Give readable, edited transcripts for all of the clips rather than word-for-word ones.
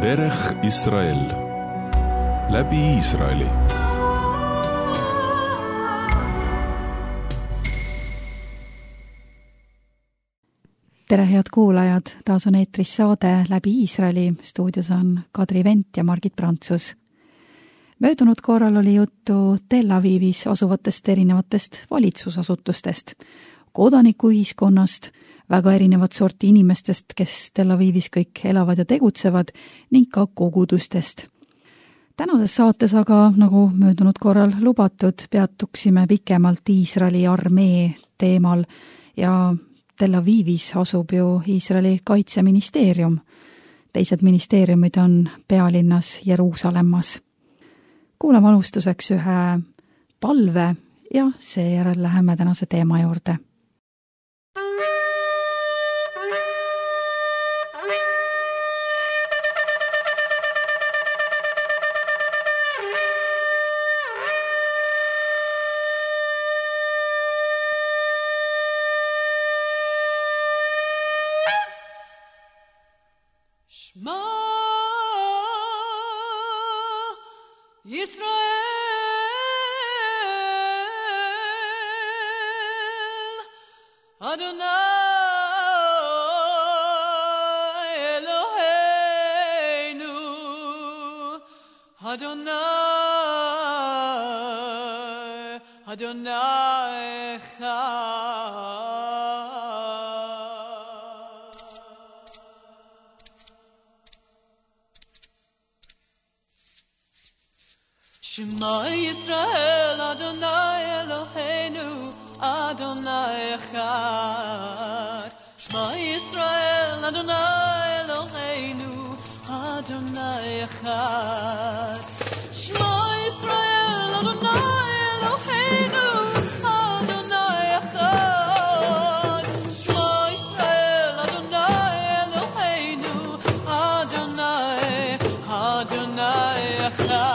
Derech Israel läbi Iisraeli. Tere head kuulajad, taas on eetris saade Läbi Iisraeli, stuudios on Kadri Vent ja Margit Prantsus. Möödunud korral oli juttu Tel Avivis asuvatest erinevatest valitsusasutustest, kodanikuühiskonnast, väga erinevat sorti inimestest, kes Tel Avivis kõik elavad ja tegutsevad, ning ka kogudustest. Tänases saates aga, nagu möödunud korral lubatud, peatuksime pikemalt Iisraeli armee teemal ja Tel Avivis asub ju Iisraeli kaitseministeerium. Teised ministeeriumid on pealinnas Jeruusalemmas. Kuulame alustuseks ühe palve ja seejärel läheme tänase teema juurde. Shema Yisrael, Adonai Eloheinu, Adonai Echad. Shema Yisrael, Adonai Eloheinu, Adonai Echad. Shema Yisrael, Adonai Eloheinu, Adonai Echad. Shema Yisrael, Adonai Eloheinu, Adonai Echad.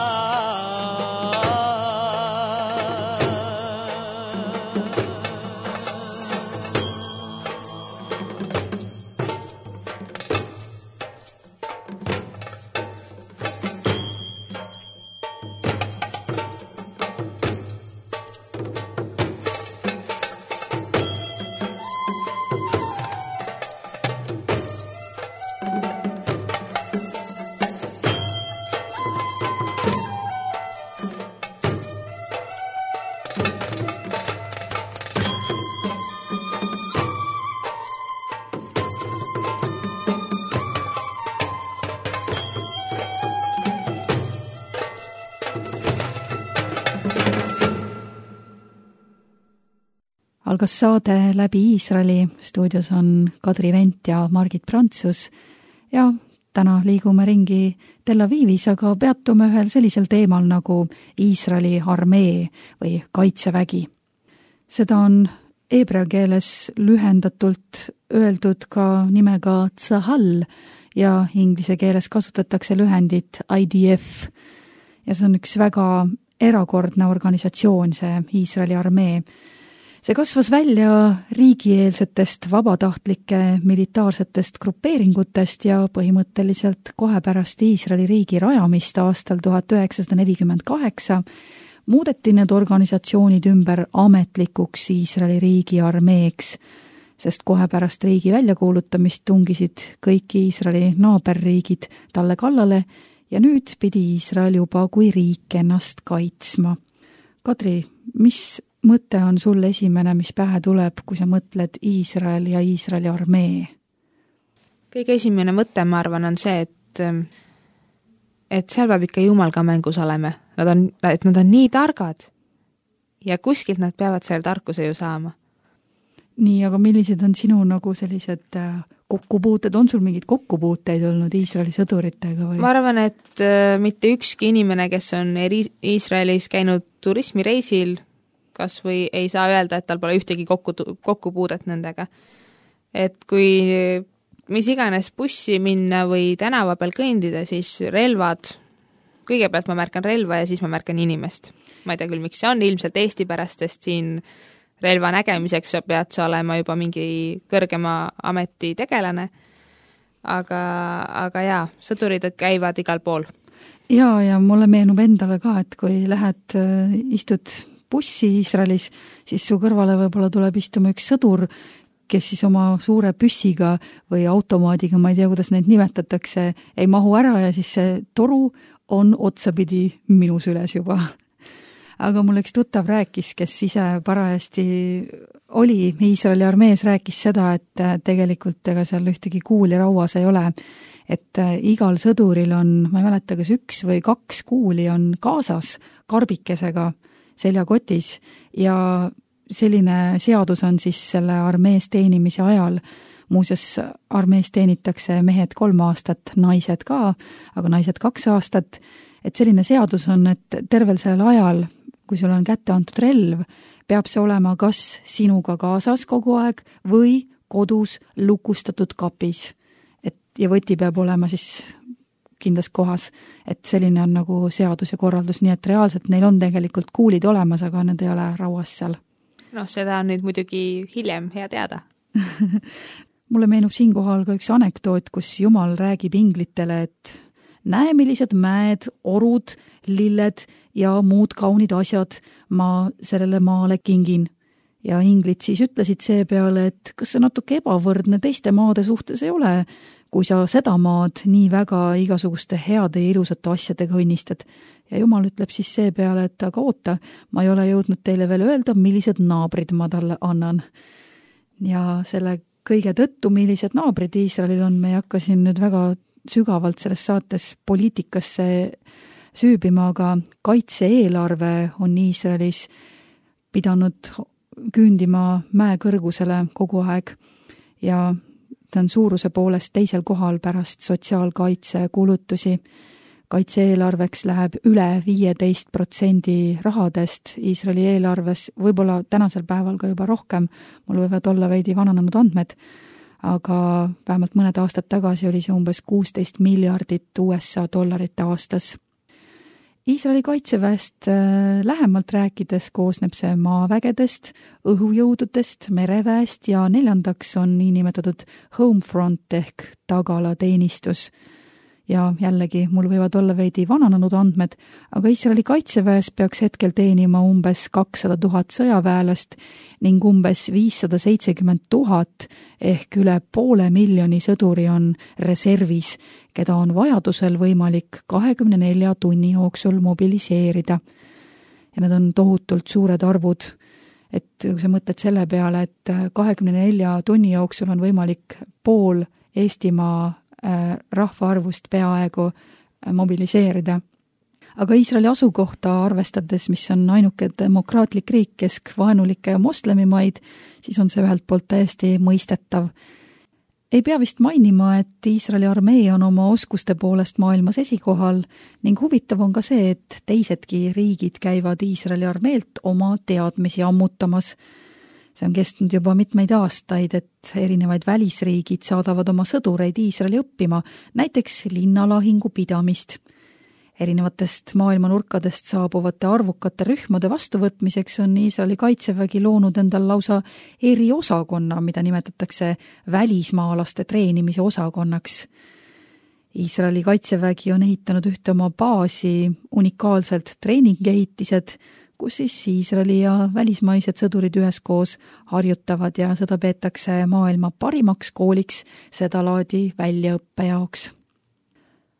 Algas saade Läbi Iisraeli, stuudios on Kadri Vent ja Margit Prantsus ja täna liigume ringi Tel Avivis, aga peatume ühel sellisel teemal nagu Iisraeli armee või kaitsevägi. Seda on heebrea keeles lühendatult öeldud ka nimega Tzahal ja inglise keeles kasutatakse lühendit IDF. Ja see on üks väga erakordne organisatsioon, see Iisraeli armee. See kasvas välja riigieelsetest vabatahtlike militaarsetest grupeeringutest ja põhimõtteliselt kohe pärast Iisraeli riigi rajamist aastal 1948 muudeti need organisatsioonid ümber ametlikuks Iisraeli riigi armeeks, sest kohe pärast riigi väljakuulutamist tungisid kõik Iisraeli naaberriigid talle kallale ja nüüd pidi Iisrael juba kui riik ennast kaitsma. Kadri, mis mõte on sul esimene, mis pähe tuleb, kui sa mõtled Iisrael ja Iisraeli armee? Kõige esimene mõte, ma arvan, on see, et seal peab ikka Jumal ka mängus olema. Nad on nii targad ja kuskilt nad peavad selle tarkuse ju saama. Nii, aga millised on sinu nagu sellised kokkupuuted? On sul mingid kokkupuuteid olnud Iisraeli sõduritega? Või? Ma arvan, et mitte ükski inimene, kes on Iisraelis käinud turismireisil, kas või ei saa öelda, et tal pole ühtegi kokkupuudet nendega. Et kui mis iganes bussi minna või tänava peal kõndida, siis relvad, kõigepealt ma märkan relva ja siis ma märkan inimest. Ma ei tea küll, miks see on, ilmselt Eesti pärast, sest siin relva nägemiseks pead sa olema juba mingi kõrgema ameti tegelane. aga jaa, sõdurid käivad igal pool. Ja mulle meenub endale ka, et kui lähed, istud bussi Iisraelis, siis su kõrvale võib-olla tuleb istuma üks sõdur, kes siis oma suure püssiga või automaadiga, ma ei tea, kuidas neid nimetatakse, ei mahu ära ja siis see toru on otsapidi minu süles juba. Aga mul üks tuttav rääkis, kes ise parajasti oli Iisraeli armees, rääkis seda, et tegelikult ega seal ühtegi kuuli rauas ei ole, et igal sõduril on, ma ei mäleta, kas 1 või 2 kuuli on kaasas karbikesega seljakotis ja selline seadus on siis selle armees teenimise ajal. Muuseas, armees teenitakse mehed 3 aastat, naised ka, aga naised 2 aastat. Et selline seadus on, et tervel sellel ajal, kui sul on kätte antud relv, peab see olema kas sinuga kaasas kogu aeg või kodus lukustatud kapis. Ja võti peab olema siis kindlas kohas, et selline on nagu seadus ja korraldus, nii et reaalselt neil on tegelikult kuulid olemas, aga need ei ole rauas seal. Seda on nüüd muidugi hiljem hea teada. Mulle meenub siinkohal ka üks anekdoot, kus Jumal räägib inglitele, et näe, millised mäed, orud, lilled ja muud kaunid asjad ma sellele maale kingin. Ja inglid siis ütlesid see peale, et kas see natuke ebavõrdne teiste maade suhtes ei ole, kui sa seda maad nii väga igasuguste heade ja ilusate asjadega õnnistad. Ja Jumal ütleb siis see peale, et aga oota, ma ei ole jõudnud teile veel öelda, millised naabrid ma talle annan. Ja selle kõige tõttu, millised naabrid Iisraelil on, me ei hakka siin nüüd väga sügavalt selles saates poliitikasse süübima, aga kaitse-eelarve on Iisraelis pidanud küündima mäe kõrgusele kogu aeg ja ta on suuruse poolest teisel kohal pärast sotsiaalkaitse kulutusi. Kaitse-eelarveks läheb üle 15% rahadest Iisraeli eelarves, võib-olla tänasel päeval ka juba rohkem, mul võivad olla veidi vananenud andmed, aga vähemalt mõned aastad tagasi oli see umbes 16 miljardit USA dollarit aastas. Iisraeli kaitseväest lähemalt rääkides koosneb see maavägedest, õhujõududest, mereväest ja 4. on niinimetatud homefront ehk tagalateenistus. Ja jällegi, mul võivad olla veidi vananenud andmed, aga Iisraeli kaitseväes peaks hetkel teenima umbes 200 000 sõjaväelast ning umbes 570 000 ehk üle 500,000 sõduri on reservis, keda on vajadusel võimalik 24 tunni jooksul mobiliseerida. Ja need on tohutult suured arvud, et kui sa mõtled selle peale, et 24 tunni jooksul on võimalik pool Eestimaa rahvaarvust peaaegu mobiliseerida. Aga Iisraeli asukohta arvestades, mis on ainuke demokraatlik riik keskvaenulikke moslemimaid, siis on see ühelt poolt täiesti mõistetav. Ei pea vist mainima, et Iisraeli armee on oma oskuste poolest maailmas esikohal ning huvitav on ka see, et teisedki riigid käivad Iisraeli armeelt oma teadmisi ammutamas. See on kestnud juba mitmeid aastaid, et erinevaid välisriigid saadavad oma sõdureid Iisraeli õppima, näiteks linnalahingu pidamist. Erinevatest maailma nurkadest saabuvate arvukate rühmade vastuvõtmiseks on Iisraeli kaitsevägi loonud endal lausa eriosakonna, mida nimetatakse välismaalaste treenimise osakonnaks. Iisraeli kaitsevägi on ehitanud ühte oma baasi unikaalselt treeningehitised, kus siis Iisraeli ja välismaised sõdurid üheskoos harjutavad ja seda peetakse maailma parimaks kooliks seda laadi väljaõppe jaoks.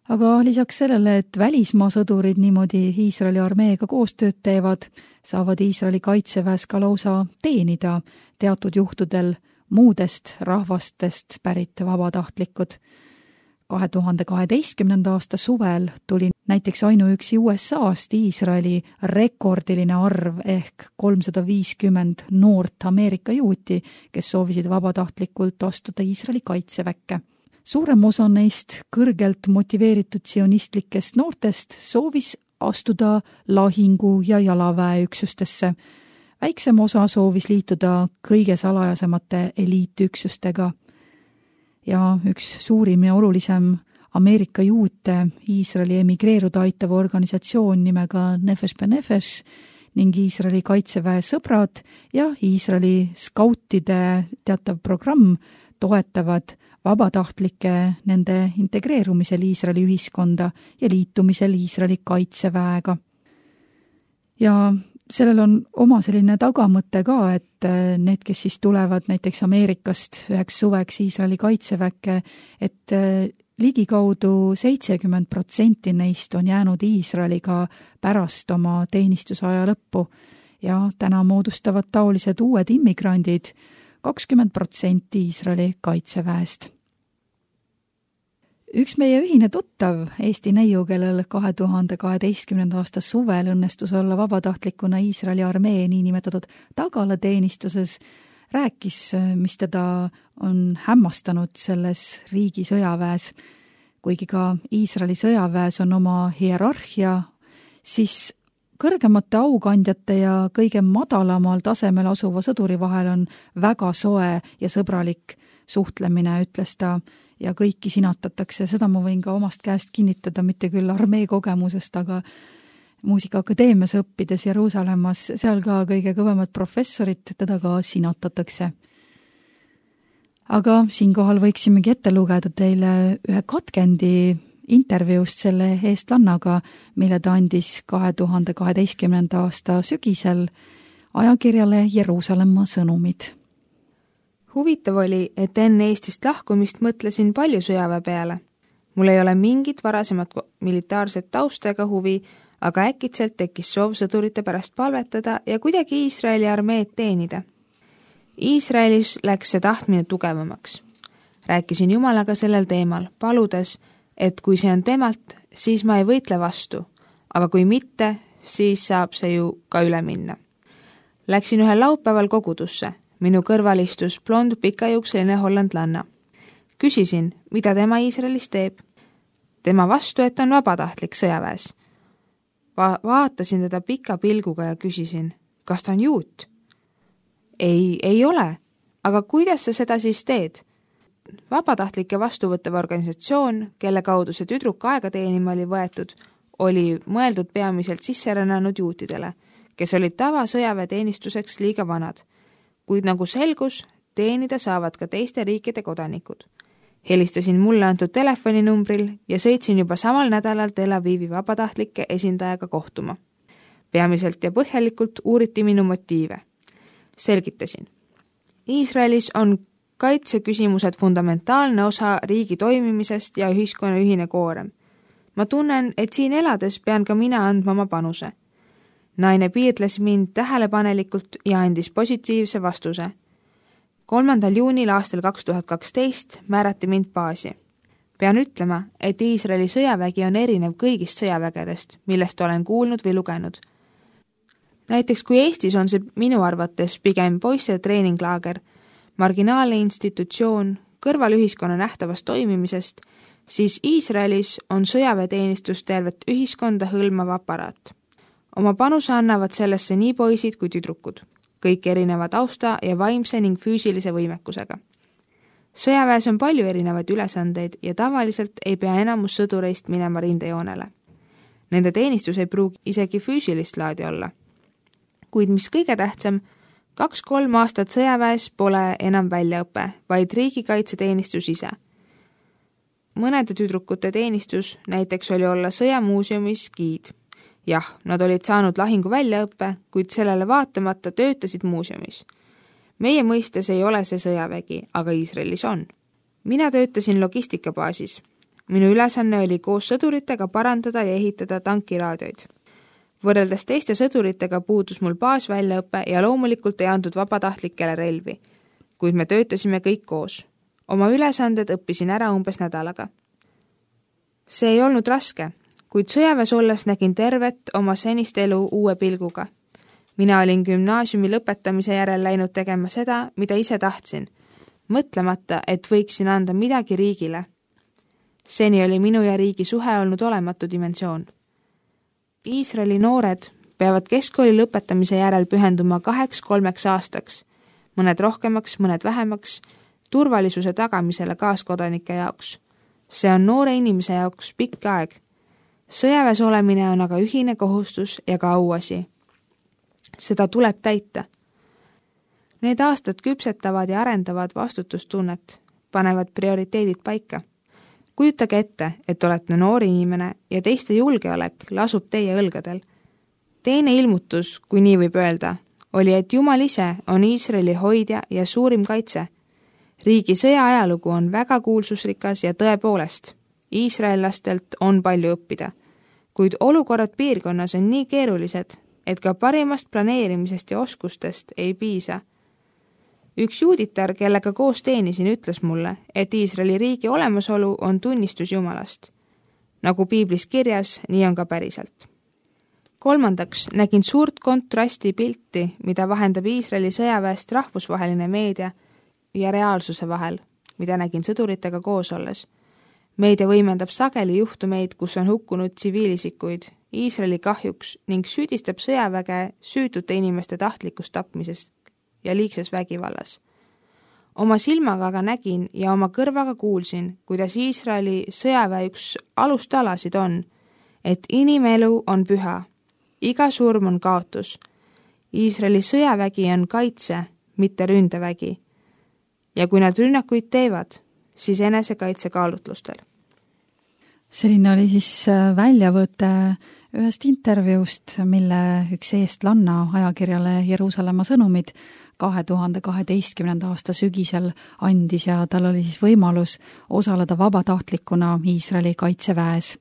Aga lisaks sellele, et välismaa sõdurid niimoodi Iisraeli armeega koostööd teevad, saavad Iisraeli kaitseväes ka lausa teenida teatud juhtudel muudest rahvastest pärit vabatahtlikud. 2012. aasta suvel tuli näiteks ainuüksi USA-st Iisraeli rekordiline arv ehk 350 noort Ameerika juuti, kes soovisid vabatahtlikult astuda Iisraeli kaitseväkke. Suurem osa neist kõrgelt motiveeritud sionistlikest noortest soovis astuda lahingu- ja jalaväeüksustesse. Väiksem osa soovis liituda kõige salajasemate eliitüksustega. Ja üks suurim ja olulisem Ameerika juute Iisraeli emigreeruda aitava organisatsioon nimega Nefesh Benefesh ning Iisraeli kaitseväe sõbrad ja Iisraeli skautide teatav programm toetavad vabatahtlike nende integreerumisel Iisraeli ühiskonda ja liitumisel Iisraeli kaitseväega. Ja sellel on oma selline tagamõte ka, et need, kes siis tulevad näiteks Ameerikast üheks suveks Iisraeli kaitseväkke, et ligikaudu 70% neist on jäänud Iisraeliga pärast oma teenistusaja lõppu ja täna moodustavad taolised uued immigrandid 20% Iisraeli kaitseväest. Üks meie ühine tuttav, Eesti neiu, kellel 2012. aasta suvel õnnestus olla vabatahtlikuna Iisraeli armee niinimetatud tagalateenistuses, rääkis, mis teda on hämmastanud selles riigi sõjaväes. Kuigi ka Iisraeli sõjaväes on oma hierarhia, siis kõrgemate aukandjate ja kõige madalamal tasemel asuva sõduri vahel on väga soe ja sõbralik suhtlemine, ütles ta, ja kõiki sinatatakse. Seda ma võin ka omast käest kinnitada, mitte küll armee kogemusest, aga muusikaakadeemias õppides Jeruusalemmas, seal ka kõige kõvemad professorid, teda ka sinatatakse. Aga siinkohal võiksimegi ette lugeda teile ühe katkendi intervjuust selle eestlannaga, mille ta andis 2012. aasta sügisel ajakirjale Jeruusalemma sõnumid. Huvitav oli, et enne Eestist lahkumist mõtlesin palju sõjaväe peale. Mul ei ole mingit varasemat militaarset tausta ega huvi, aga äkitselt tekkis soov sõdurite pärast palvetada ja kuidagi Iisraeli armeed teenida. Iisraelis läks see tahtmine tugevamaks. Rääkisin Jumalaga sellel teemal, paludes, et kui see on temalt, siis ma ei võitle vastu, aga kui mitte, siis saab see ju ka üle minna. Läksin ühel laupäeval kogudusse. Minu kõrval istus blond pikajuukseline hollandlanna. Küsisin, mida tema Iisraelis teeb. Tema vastu, et on vabatahtlik sõjaväes. Vaatasin teda pika pilguga ja küsisin, kas ta on juut? Ei ole. Aga kuidas sa seda siis teed? Vabatahtlike vastuvõttev organisatsioon, kelle kaudu see tüdruk aega teenima oli võetud, oli mõeldud peamiselt sisserännanud juutidele, kes olid tavasõjaväeteenistuseks liiga vanad. Kuid nagu selgus, teenida saavad ka teiste riikide kodanikud. Helistasin mulle antud telefoninumbril ja sõitsin juba samal nädalal Tel Avivi vabatahtlike esindajaga kohtuma. Peamiselt ja põhjalikult uuriti minu motiive. Selgitasin. Iisraelis on kaitseküsimused fundamentaalne osa riigi toimimisest ja ühiskonna ühine koorem. Ma tunnen, et siin elades pean ka mina andma oma panuse. Naine piirles mind tähelepanelikult ja andis positiivse vastuse. 3. juunil aastal 2012 määrati mind baasi. Pean ütlema, et Iisraeli sõjavägi on erinev kõigist sõjavägedest, millest olen kuulnud või lugenud. Näiteks kui Eestis on see minu arvates pigem poisse treeninglaager, marginaalne institutsioon, kõrval ühiskonna nähtavast toimimisest, siis Iisraelis on sõjaväeteenistus tervet ühiskonda hõlmav aparaat. Oma panuse annavad sellesse nii poisid kui tüdrukud, kõik erinevad tausta ja vaimse ning füüsilise võimekusega. Sõjaväes on palju erinevaid ülesandeid ja tavaliselt ei pea enamus sõdureist minema rindejoonele. Nende teenistus ei pruugi isegi füüsilist laadi olla. Kuid mis kõige tähtsam, 2-3 aastat sõjaväes pole enam väljaõpe, vaid riigikaitseteenistus ise. Mõnede tüdrukute teenistus näiteks oli olla sõjamuuseumis giid. Jah, nad olid saanud lahingu väljaõppe, kuid sellele vaatamata töötasid muuseumis. Meie mõistes ei ole see sõjavägi, aga Iisraelis on. Mina töötasin logistikabaasis. Minu ülesanne oli koos sõduritega parandada ja ehitada tankiraadioid. Võrreldes teiste sõduritega puudus mul baasväljaõppe ja loomulikult ei andnud vabatahtlikele relvi, kuid me töötasime kõik koos. Oma ülesanded õppisin ära umbes nädalaga. See ei olnud raske, kuid sõjaväes olles nägin tervet oma senist elu uue pilguga. Mina olin gümnaasiumi lõpetamise järel läinud tegema seda, mida ise tahtsin, mõtlemata, et võiksin anda midagi riigile. Seni oli minu ja riigi suhe olnud olematu dimensioon. Iisraeli noored peavad keskkooli lõpetamise järel pühenduma 2-3 aastaks, mõned rohkemaks, mõned vähemaks, turvalisuse tagamisele kaaskodanike jaoks. See on noore inimese jaoks pikk aeg. Sõjaväes olemine on aga ühine kohustus ja ka auasi. Seda tuleb täita. Need aastad küpsetavad ja arendavad vastutustunnet. panevad prioriteedid paika. Kujutage ette, et olete noor inimene ja teiste julgeolek lasub teie õlgadel. Teine ilmutus, kui nii võib öelda, oli, et Jumal ise on Iisraeli hoidja ja suurim kaitse. Riigi sõja ajalugu on väga kuulsusrikas ja tõepoolest, iisraellastelt on palju õppida, kuid olukorrad piirkonnas on nii keerulised, et ka parimast planeerimisest ja oskustest ei piisa. Üks juuditar, kellega koos teenisin, ütles mulle, et Iisraeli riigi olemasolu on tunnistus Jumalast. Nagu piiblis kirjas, nii on ka päriselt. Kolmandaks nägin suurt kontrasti pilti, mida vahendab Iisraeli sõjaväest rahvusvaheline meedia ja reaalsuse vahel, mida nägin sõduritega koos olles. Meedia võimendab sageli juhtumeid, kus on hukkunud tsiviilisikuid Iisraeli kahjuks ning süüdistab sõjaväge süütute inimeste tahtlikust tapmisest ja liigses vägivallas. Oma silmaga aga nägin ja oma kõrvaga kuulsin, kuidas Iisraeli sõjaväe üks alustalasid on, et inimelu on püha, iga surm on kaotus. Iisraeli sõjavägi on kaitse, mitte ründevägi. Ja kui nad rünnakuid teevad, siis enesekaitse kaalutlustel. Selline oli siis väljavõte ühest intervjuust, mille üks eestlanna ajakirjale Jeruusalemma sõnumid 2012. aasta sügisel andis ja tal oli siis võimalus osaleda vabatahtlikuna Iisraeli kaitseväes.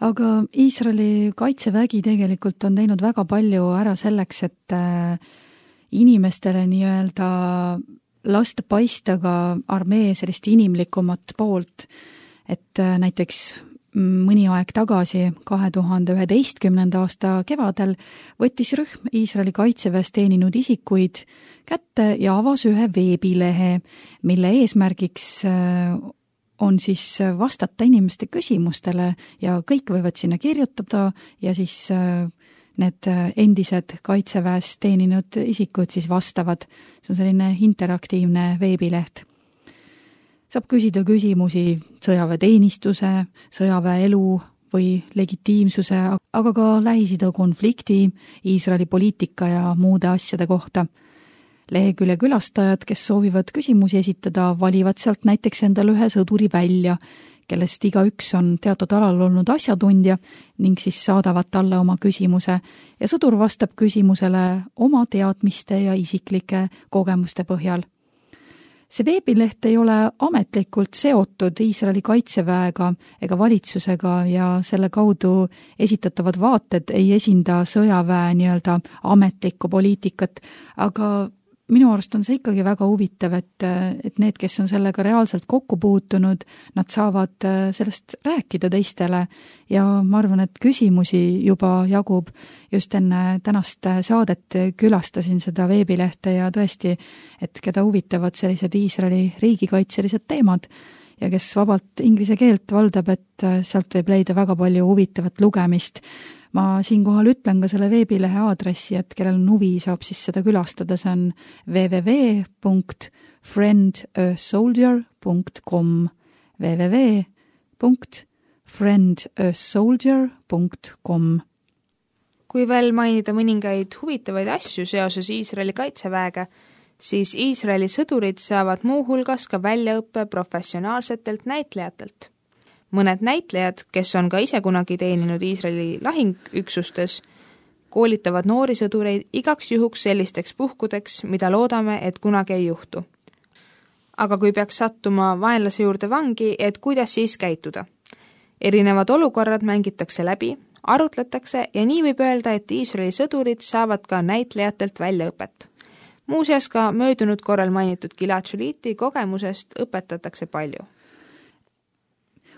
Aga Iisraeli kaitsevägi tegelikult on teinud väga palju ära selleks, et inimestele nii-öelda lasta paista ka armee sellist inimlikumat poolt, et näiteks mõni aeg tagasi, 2011. aasta kevadel, võttis rühm Iisraeli kaitseväes teeninud isikuid kätte ja avas ühe veebilehe, mille eesmärgiks on siis vastata inimeste küsimustele ja kõik võivad sinna kirjutada ja siis need endised kaitseväes teeninud isikud siis vastavad. See on selline interaktiivne veebileht. Saab küsida küsimusi sõjaväeteenistuse, sõjaväeelu või legitiimsuse, aga ka Lähis-Ida konflikti, Iisraeli poliitika ja muude asjade kohta. Lehekülje külastajad, kes soovivad küsimusi esitada, valivad sealt näiteks endale ühe sõduri välja, kellest igaüks on teatud alal olnud asjatundja ning siis saadavad talle oma küsimuse ja sõdur vastab küsimusele oma teadmiste ja isiklike kogemuste põhjal. See veebileht ei ole ametlikult seotud Iisraeli kaitseväega ega valitsusega ja selle kaudu esitatavad vaated ei esinda sõjaväe nii-öelda ametlikku poliitikat, aga minu arust on see ikkagi väga huvitav, et need, kes on sellega reaalselt kokku puutunud, nad saavad sellest rääkida teistele ja ma arvan, et küsimusi juba jagub. Just enne tänast saadet külastasin seda veebilehte ja tõesti, et keda huvitavad sellised Iisraeli riigikaitselised teemad ja kes vabalt inglise keelt valdab, et sealt võib leida väga palju huvitavat lugemist. Ma siinkohal ütlen ka selle veebilehe aadressi, et kellel on huvi, saab siis seda külastada, see on www.friendasoldier.com www.friendasoldier.com. Kui veel mainida mõningaid huvitavaid asju seoses Iisraeli kaitseväega, siis Iisraeli sõdurid saavad muuhulgas ka väljaõppe professionaalsetelt näitlejatelt. Mõned näitlejad, kes on ka ise kunagi teeninud Iisraeli lahingüksustes, koolitavad noori sõdureid igaks juhuks sellisteks puhkudeks, mida loodame, et kunagi ei juhtu. Aga kui peaks sattuma vaenlase juurde vangi, et kuidas siis käituda? Erinevad olukorrad mängitakse läbi, arutletakse ja nii võib öelda, et Iisraeli sõdurid saavad ka näitlejatelt väljaõpet. Muuseas ka möödunud korral mainitud Gilad Šaliti kogemusest õpetatakse palju.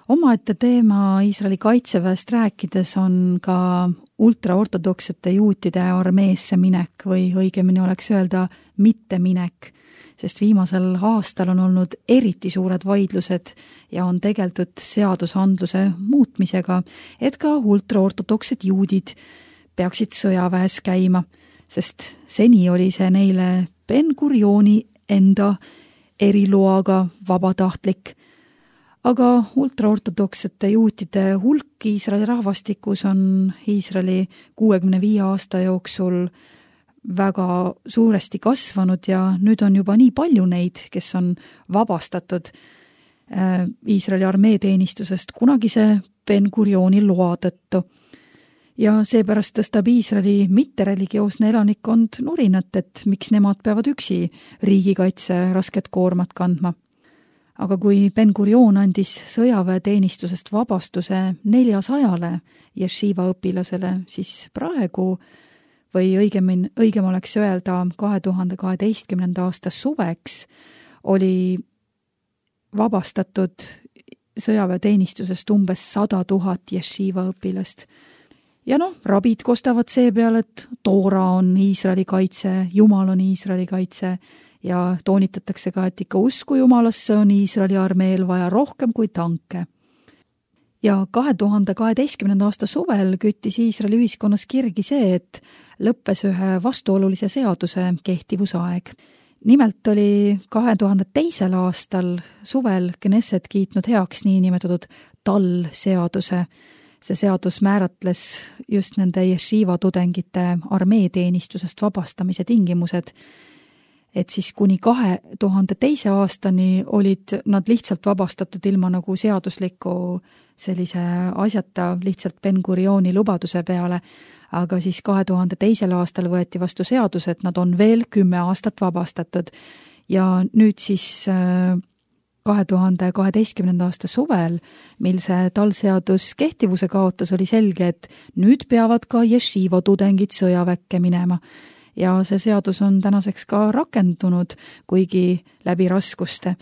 Omaette teema Iisraeli kaitseväest rääkides on ka ultraortodoksete juutide armeesse minek või õigemini oleks öelda mitte minek, sest viimasel aastal on olnud eriti suured vaidlused ja on tegeldud seadusandluse muutmisega, et ka ultraortodoksed juudid peaksid sõjaväes käima, sest seni oli see neile Ben-Gurioni enda eriloaga vabatahtlik. Aga ultraortodoksete juutide hulk Iisraeli rahvastikus on Iisraeli 65 aasta jooksul väga suuresti kasvanud ja nüüd on juba nii palju neid, kes on vabastatud Iisraeli armeeteenistusest kunagise Ben-Gurioni loa tõttu. Ja seepärast tõstab Iisraeli mittereligioosne elanikkond nurinat, et miks nemad peavad üksi riigikaitse rasket koormat kandma. Aga kui Ben-Gurion andis sõjaväeteenistusest vabastuse 400 jeshiva õpilasele, siis praegu või õigem oleks öelda 2012. aasta suveks oli vabastatud sõjaväeteenistusest umbes 100 000 jeshiva õpilast. Ja rabid kostavad see peale, et Toora on Iisraeli kaitse, Jumal on Iisraeli kaitse ja toonitatakse ka, et ikka usku Jumalasse on Iisraeli armeel vaja rohkem kui tanke. Ja 2012. aasta suvel küttis Iisraeli ühiskonnas kirgi see, et lõppes ühe vastuolulise seaduse kehtivusaeg. Nimelt oli 2002. aastal suvel Knesset kiitnud heaks niinimetatud TAL-seaduse. See seadus määratles just nende jeshiva tudengite armeeteenistusest vabastamise tingimused, et siis kuni 2002. aastani olid nad lihtsalt vabastatud ilma nagu seadusliku sellise asjata lihtsalt Ben-Gurioni lubaduse peale, aga siis 2002. aastal võeti vastu seadus, et nad on veel 10 aastat vabastatud ja nüüd siis 2012. aasta suvel, mil see TAL-seadus kehtivuse kaotas, oli selge, et nüüd peavad ka jeshiva tudengid sõjaväkke minema. Ja see seadus on tänaseks ka rakendunud, kuigi läbi raskuste.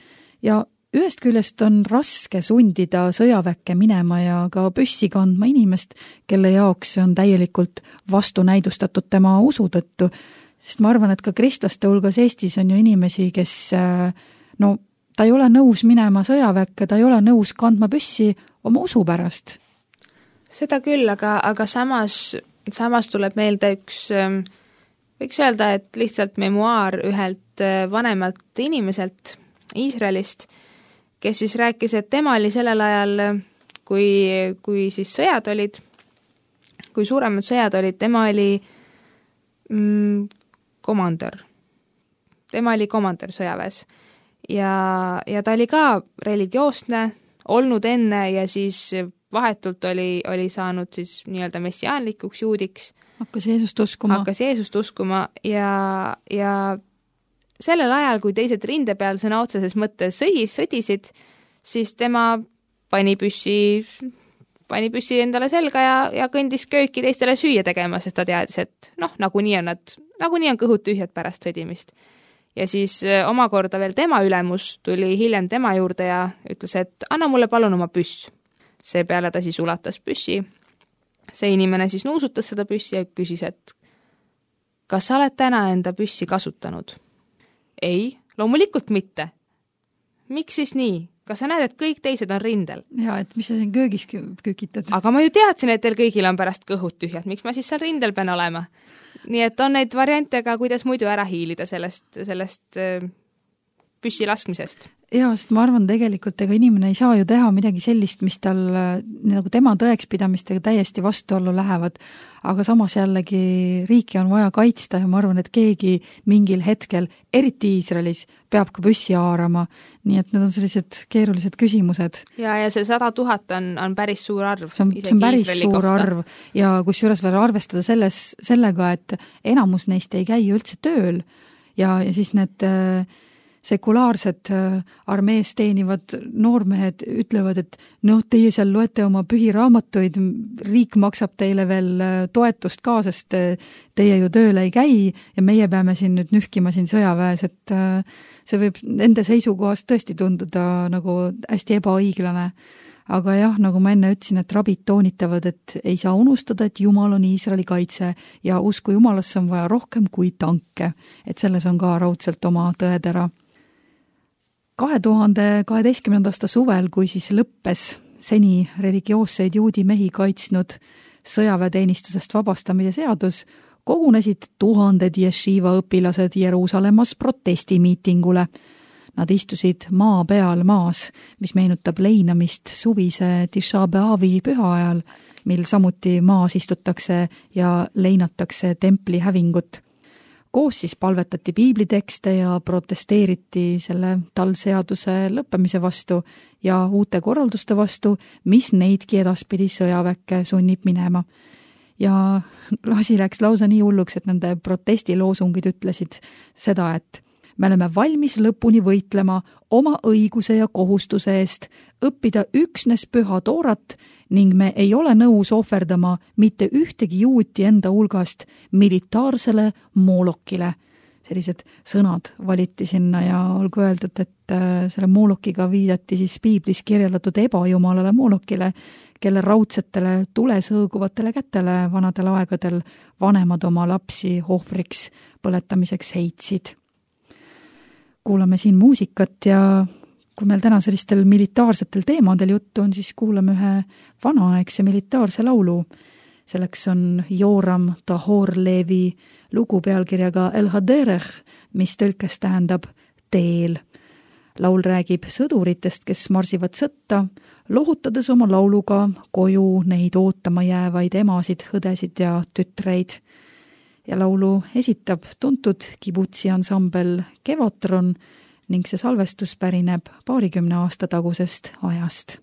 Ja ühest küljest on raske sundida sõjaväkke minema ja ka püssi kandma inimest, kelle jaoks see on täielikult vastunäidustatud tema usu tõttu. Sest ma arvan, et ka kristlaste hulgas Eestis on ju inimesi, kes ta ei ole nõus minema sõjaväkke, ta ei ole nõus kandma püssi oma usu pärast. Seda küll, aga samas tuleb meelde üks, võiks öelda, et lihtsalt memuaar ühelt vanemalt inimeselt Iisraelist, kes siis rääkis, et tema oli sellel ajal, kui siis sõjad olid, kui suuremad sõjad olid, tema oli komandör. Tema oli komandör sõjaväes. Ja ta oli ka religioosne, olnud enne ja siis vahetult oli saanud siis nii-öelda messiaanlikuks juudiks. Hakkas Jeesust uskuma ja sellel ajal, kui teised rinde peal sõna otseses mõttes sõdisid, siis tema pani püssi endale selga ja kõndis kööki teistele süüa tegema, sest ta teadis, et nagunii on kõhud tühjad pärast sõdimist. Ja siis omakorda veel tema ülemus tuli hiljem tema juurde ja ütles, et anna mulle palun oma püss. Seepeale ta siis ulatas püssi. See inimene siis nuusutas seda püssi ja küsis, et kas sa oled täna enda püssi kasutanud? Ei, loomulikult mitte. Miks siis nii? Kas sa näed, et kõik teised on rindel? Ja, et mis sa siin köögis kükitad? Aga ma ju teadsin, et teil kõigil on pärast kõhud tühjad. Miks ma siis seal rindel pean olema? Nii et on neid variante ka, kuidas muidu ära hiilida sellest püssi laskmisest. Jaa, sest ma arvan tegelikult, ega inimene ei saa ju teha midagi sellist, mis tal nagu tema tõekspidamistega täiesti vastuollu lähevad, aga samas jällegi riiki on vaja kaitsta ja ma arvan, et keegi mingil hetkel, eriti Iisraelis, peab ka püssi haarama, nii et need on sellised keerulised küsimused. Ja see 100 000 on päris suur arv. See on päris suur arv ja kusjuures veel arvestada sellega, et enamus neist ei käi üldse tööl ja siis need sekulaarsed armees teenivad noormehed ütlevad, et teie seal loete oma pühiraamatuid, riik maksab teile veel toetust ka, sest teie ju tööle ei käi ja meie peame siin nüüd nühkima siin sõjaväes, et see võib nende seisukohast tõesti tunduda nagu hästi ebaõiglane. Aga jah, nagu ma enne ütlesin, et rabid toonitavad, et ei saa unustada, et Jumal on Iisraeli kaitse ja usku Jumalasse on vaja rohkem kui tanke, et selles on ka raudselt oma tõetera. 2012. aasta suvel, kui siis lõppes seni religioosseid juudi mehi kaitsnud sõjaväeteenistusest vabastamise seadus, kogunesid tuhanded jeshiva õpilased Jeruusalemmas protestimiitingule. Nad istusid maa peal maas, mis meenutab leinamist suvise Tisha B'Avi püha ajal, mil samuti maas istutakse ja leinatakse templi hävingut. koos siis palvetati piiblitekste ja protesteeriti selle talseaduse lõppemise vastu ja uute korralduste vastu, mis neidki edaspidi sõjaväkke sunnib minema. Ja asi läks lausa nii hulluks, et nende protestiloosungid ütlesid seda, et me oleme valmis lõpuni võitlema oma õiguse ja kohustuse eest, õppida üksnes püha toorat ning me ei ole nõus ohverdama mitte ühtegi juuti enda hulgast militaarsele moolokile. Sellised sõnad valiti sinna ja olgu öeldud, et selle moolokiga viidati siis piiblis kirjeldatud ebajumalale moolokile, kelle raudsetele tulesõõguvatele kätele vanadel aegadel vanemad oma lapsi ohvriks põletamiseks heitsid. Kuulame siin muusikat ja kui meil täna sellistel militaarsetel teemadel juttu on, siis kuulame ühe vanaaegse militaarse laulu. Selleks on Joram Tahorlevi lugu pealkirjaga El Haderech, mis tõlkes tähendab teel. Laul räägib sõduritest, kes marsivad sõtta, lohutades oma lauluga koju neid ootama jäävaid emasid, õdesid ja tütreid. Ja laulu esitab tuntud kibutsi ansambel Kevatron ning see salvestus pärineb 20 aasta tagusest ajast.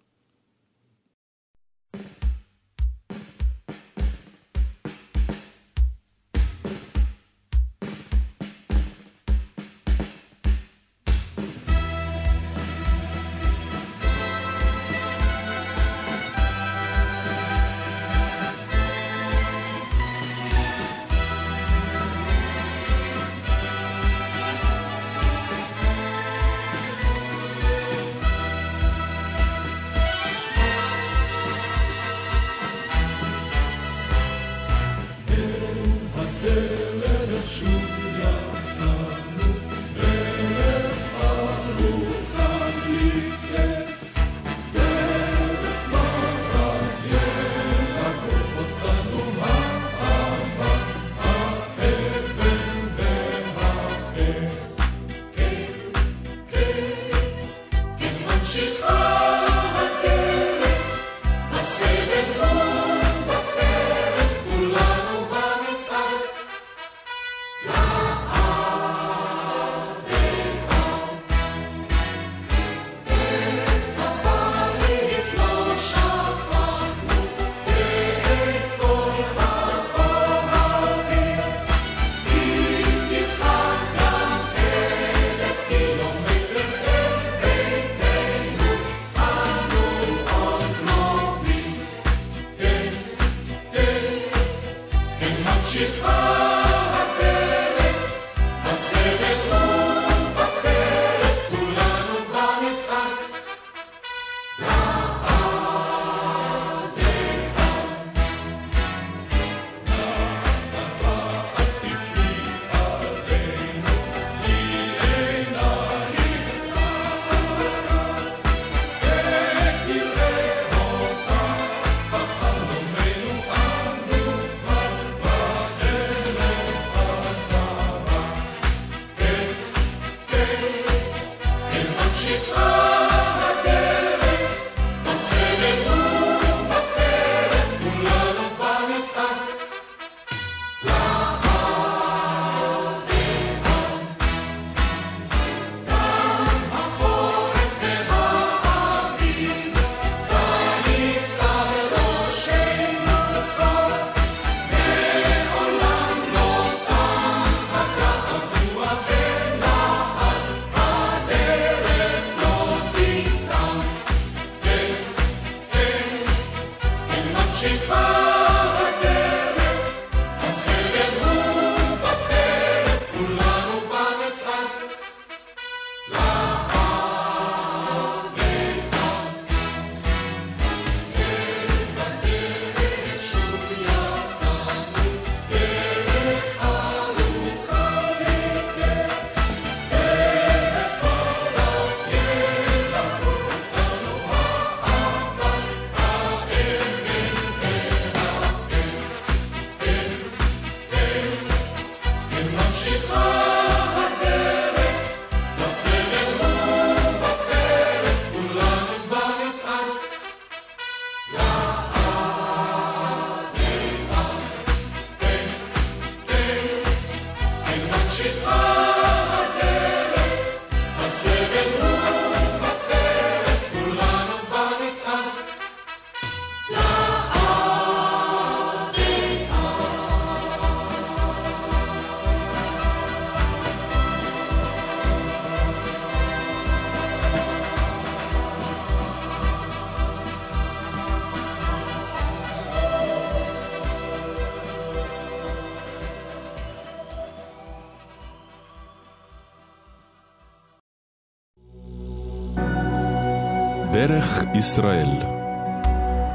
דרך ישראל,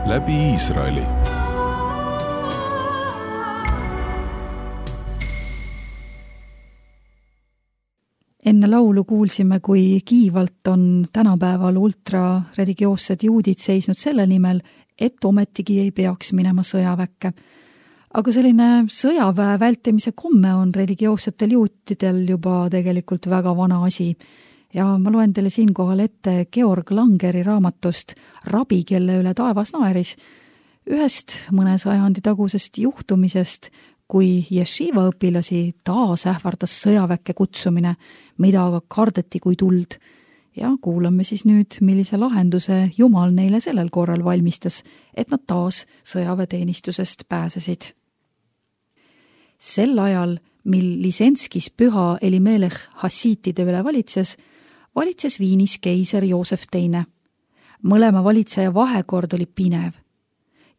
läbi Iisraeli. Enne laulu kuulsime, kui kiivalt on tänapäeval ultrareligioossed juudid seisnud selle nimel, et ometigi ei peaks minema sõjaväkke. Aga selline sõjaväe vältimise komme on religioossetel juutidel juba tegelikult väga vana asi. Ja ma loen teile siinkohal ette Georg Langeri raamatust Rabi, kelle üle taevas naeris, ühest mõne sajandi tagusest juhtumisest, kui jeshiva õpilasi taas ähvardas sõjaväkke kutsumine, mida aga kardeti kui tuld. Ja kuulame siis nüüd, millise lahenduse Jumal neile sellel korral valmistas, et nad taas sõjaväeteenistusest pääsesid. Sel ajal, mil Lisenskis püha Elimelech hassiitide üle valitses Viinis keiser Joosef II. Mõlema valitseja vahekord oli pinev.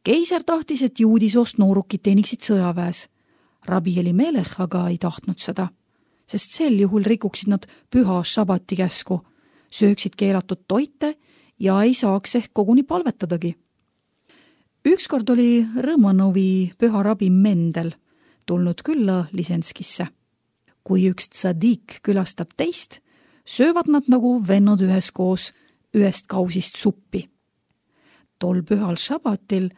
Keiser tahtis, et juudisoost noorukid teeniksid sõjaväes. Rabi Elimelech aga ei tahtnud seda, sest sel juhul rikuksid nad püha šabati käsku, sööksid keelatud toite ja ei saaks ehk koguni palvetadagi. Ükskord oli Rõmanovi püha rabi Mendel tulnud külla Lisenskisse. Kui üks tsadik külastab teist, söövad nad nagu vennad üheskoos ühest kausist suppi. Tol pühal šabatil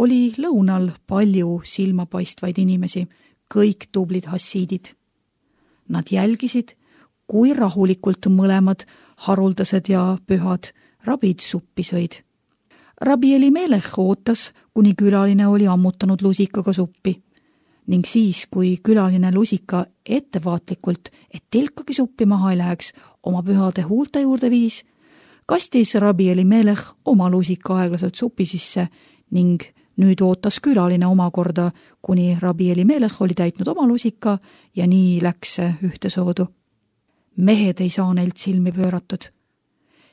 oli lõunal palju silmapaistvaid inimesi, kõik tublid hassiidid. Nad jälgisid, kui rahulikult mõlemad haruldased ja pühad rabid suppi sõid. Rabi Elimelech ootas, kuni külaline oli ammutanud lusikaga suppi. Ning siis, kui külaline lusika ettevaatlikult, et tilkagi suppi maha ei läheks, oma pühade huulte juurde viis, kastis Rabi Elimelech oma lusika aeglaselt supi sisse ning nüüd ootas külaline omakorda, kuni Rabi Elimelech oli täitnud oma lusika ja nii läks see ühtesoodu. Mehed ei saa neilt silmi pööratud.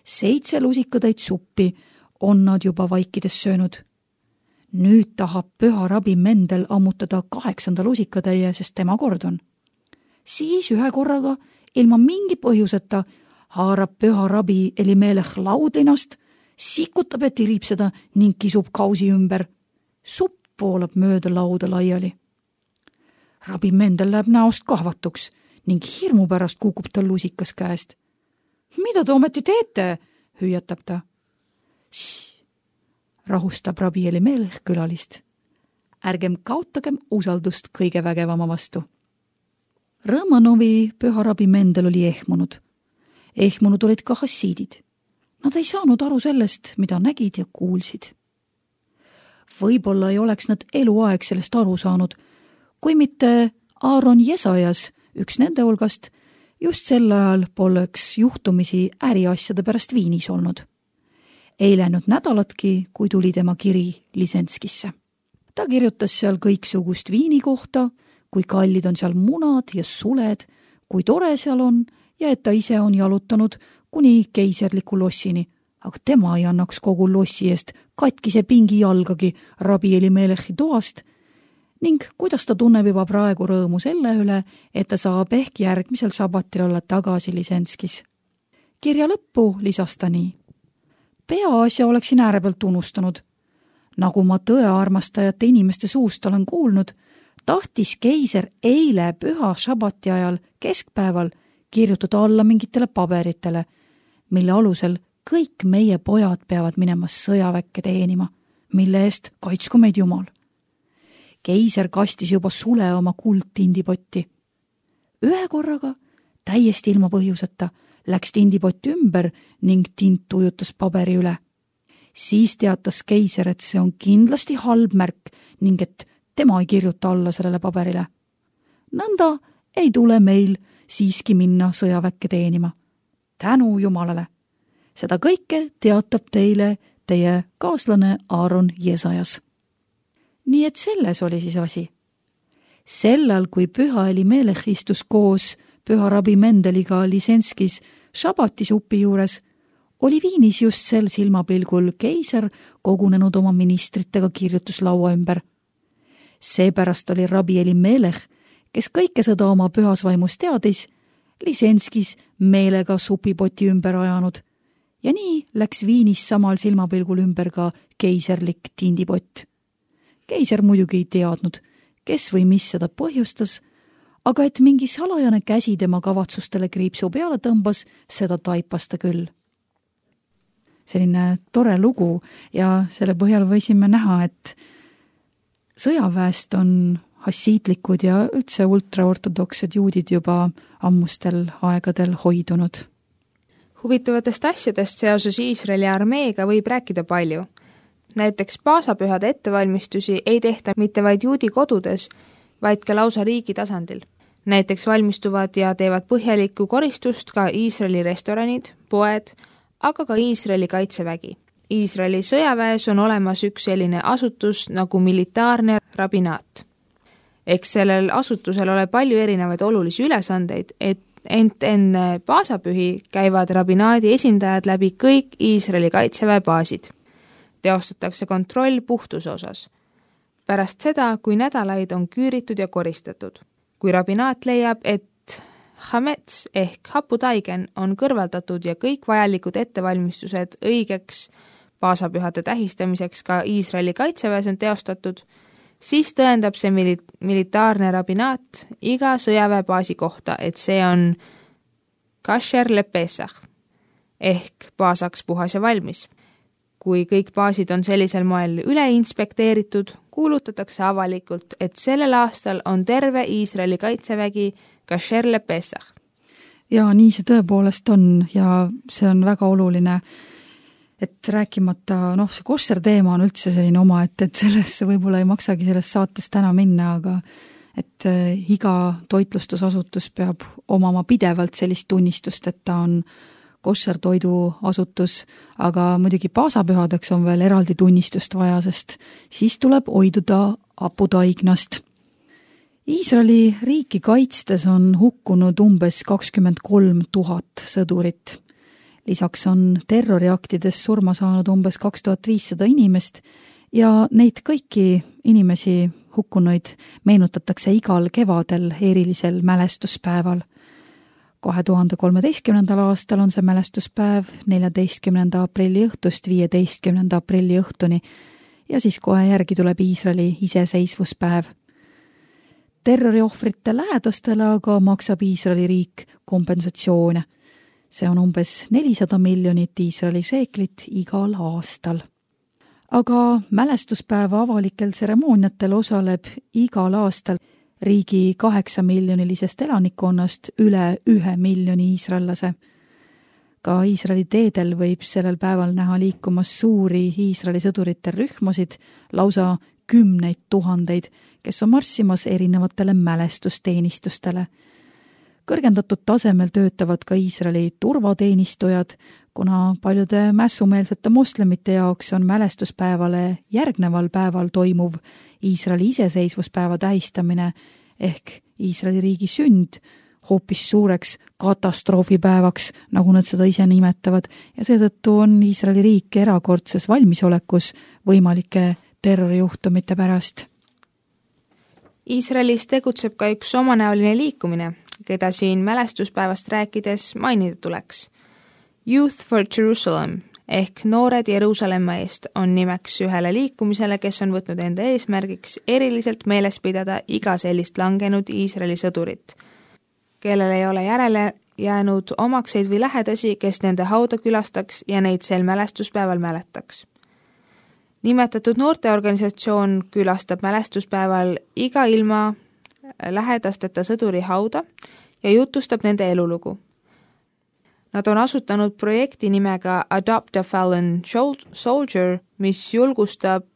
7 lusikatäit suppi on nad juba vaikides söönud. Nüüd tahab püha rabi Mendel ammutada 8. lusikatäie, sest tema kord on. Siis ühe korraga, ilma mingi põhjuseta, haarab püha rabi Elimelech laudlinast, sikutab ja tirib seda ning kisub kausi ümber. Supp voolab mööda lauda laiali. Rabi Mendel läheb näost kahvatuks ning hirmu pärast kukub tal lusikas käest. Mida te ometi teete? Hüüatab ta. Rahustab Rabi Elimelech külalist. Ärgem kaotagem usaldust kõige vägevama vastu. Rõmanovi püha rabi Mendel oli ehmunud. Ehmunud olid ka hassiidid. Nad ei saanud aru sellest, mida nägid ja kuulsid. Võib-olla ei oleks nad eluaeg sellest aru saanud, kui mitte Aaron Jesajas, üks nende hulgast, just sel ajal poleks juhtumisi äriasjade pärast Viinis olnud. Ei läinud nädalatki, kui tuli tema kiri Lisenskisse. Ta kirjutas seal kõiksugust Viini kohta, kui kallid on seal munad ja suled, kui tore seal on ja et ta ise on jalutanud kuni keiserliku lossini, aga tema ei annaks kogu lossi eest katkise pingi jalgagi Rabi Elimelechi toast ning kuidas ta tunneb juba praegu rõõmu selle üle, et ta saab ehk järgmisel šabatil olla tagasi Lisenskis. Kirja lõppu lisas ta nii. Peaasja oleksin äärepealt unustanud. Nagu ma tõearmastajate inimeste suust olen kuulnud, tahtis keiser eile püha šabati ajal keskpäeval kirjutada alla mingitele paberitele, mille alusel kõik meie pojad peavad minema sõjaväkke teenima, mille eest kaitsku meid Jumal. Keiser kastis juba sule oma kuldtindipotti. Ühe korraga, täiesti ilma põhjuseta, läks tindipott ümber ning tint ujutas paberi üle. Siis teatas keiser, et see on kindlasti halb märk ning et tema ei kirjuta alla sellele paberile. Nõnda, ei tule meil siiski minna sõjaväkke teenima. Tänu Jumalale! Seda kõike teatab teile teie kaaslane Aaron Jesajas. Nii et selles oli siis asi. Sellal, kui Püha Elimelech istus koos Püha rabi Mendeliga Lisenskis šabatisupi juures, oli Viinis just sel silmapilgul keiser kogunenud oma ministritega kirjutuslaua ümber. Seepärast oli rabi Elimelech, kes kõike seda oma pühas vaimus teadis, Lisenskis meelega supipoti ümber ajanud ja nii läks Viinis samal silmapilgul ümber ka keiserlik tindipott. Keiser muidugi ei teadnud, kes või mis seda põhjustas, aga et mingi salajane käsi tema kavatsustele kriipsu peale tõmbas, seda taipas ta küll. Selline tore lugu ja selle põhjal võisime näha, et sõjaväest on hassiitlikud ja üldse ultraortodoksed juudid juba ammustel aegadel hoidunud. Huvitavatest asjadest seoses Iisraeli armeega võib rääkida palju. Näiteks paasapühade ettevalmistusi ei tehta mitte vaid juudi kodudes, vaid ka lausa riigi tasandil. Näiteks valmistuvad ja teevad põhjalikku koristust ka Iisraeli restoranid, poed, aga ka Iisraeli kaitsevägi. Iisraeli sõjaväes on olemas üks selline asutus nagu militaarne rabinaat. Eks sellel asutusel ole palju erinevaid olulisi ülesandeid, ent enne paasapühi käivad rabinaadi esindajad läbi kõik Iisraeli kaitseväe baasid. Teostatakse kontroll puhtuse osas. Pärast seda, kui nädalaid on küüritud ja koristatud. Kui rabinaat leiab, et hamets ehk haputaigen on kõrvaldatud ja kõik vajalikud ettevalmistused õigeks paasapühade tähistamiseks ka Iisraeli kaitseväes on teostatud, siis tõendab see militaarne rabinaat iga sõjaväebaasi kohta, et see on kasher le pesach ehk paasaks puhas ja valmis. Kui kõik baasid on sellisel moel üle inspekteeritud, kuulutatakse avalikult, et sellel aastal on terve Iisraeli kaitsevägi kasher le pesach. Ja nii see tõepoolest on ja see on väga oluline, et rääkimata, see koššer teema on üldse selline oma, et sellesse võib-olla ei maksagi sellest saatest täna minna, aga et iga toitlustusasutus peab omama pidevalt sellist tunnistust, et ta on koššer toiduasutus, aga muidugi paasapühadeks on veel eraldi tunnistust vaja, sest siis tuleb hoiduda haputaignast. Iisraeli riiki kaitstes on hukkunud umbes 23 000 sõdurit. Lisaks on terroriaktides surma saanud umbes 2500 inimest ja neid kõiki inimesi hukkunuid meenutatakse igal kevadel erilisel mälestuspäeval. 2013. aastal on see mälestuspäev 14. aprilli õhtust 15. aprilli õhtuni ja siis kohe järgi tuleb Iisraeli iseseisvuspäev. Terroriohvrite lähedastele aga maksab Iisraeli riik kompensatsioone. See on umbes 400 miljonit Iisraeli šeeklit igal aastal. Aga mälestuspäeva avalikel tseremooniatel osaleb igal aastal riigi 8-miljonilisest elanikkonnast üle 1 miljoni iisraellase. Ka Iisraeli teedel võib sellel päeval näha liikumas suuri Iisraeli sõdurite rühmasid, lausa 10 000, kes on marssimas erinevatele mälestusteenistustele. Kõrgendatud tasemel töötavad ka Iisraeli turvateenistujad, kuna paljude mässumeelsete moslemite jaoks on mälestuspäevale järgneval päeval toimuv Iisraeli iseseisvuspäeva tähistamine ehk Iisraeli riigi sünd hoopis suureks katastroofipäevaks, nagu nad seda ise nimetavad, ja seetõttu on Iisraeli riik erakordses valmisolekus võimalike terrorijuhtumite pärast. Iisraelis tegutseb ka üks omanäoline liikumine, keda siin mälestuspäevast rääkides mainida tuleks. Youth for Jerusalem ehk Noored Jeruusalemma eest on nimeks ühele liikumisele, kes on võtnud enda eesmärgiks eriliselt meeles pidada iga sellist langenud Iisraeli sõdurit, kellel ei ole järele jäänud omakseid või lähedasi, kes nende hauda külastaks ja neid sel mälestuspäeval mäletaks. Nimetatud noorteorganisatsioon külastab mälestuspäeval iga ilma lähedasteta sõduri hauda ja jutustab nende elulugu. Nad on asutanud projekti nimega Adopt a Fallen Soldier, mis julgustab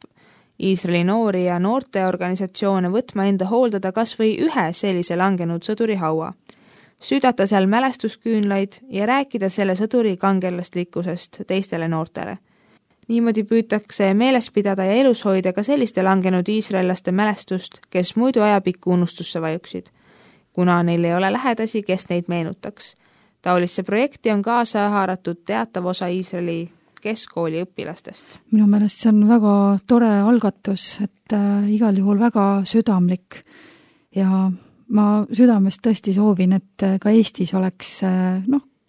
Iisraeli noori ja noorteorganisatsioone võtma enda hooldada kas või ühe sellise langenud sõduri haua, süüdata seal mälestusküünlaid ja rääkida selle sõduri kangelaslikkusest teistele noortele. Niimoodi püütakse meeles pidada ja elus hoida ka selliste langenud iisraellaste mälestust, kes muidu ajapikku unustusse vajuksid, kuna neil ei ole lähedasi, kes neid meenutaks. Taolisse projekti on kaasa haaratud teatav osa Iisraeli keskkooli õpilastest. Minu meelest see on väga tore algatus, et igal juhul väga südamlik ja ma südamest tõesti soovin, et ka Eestis oleks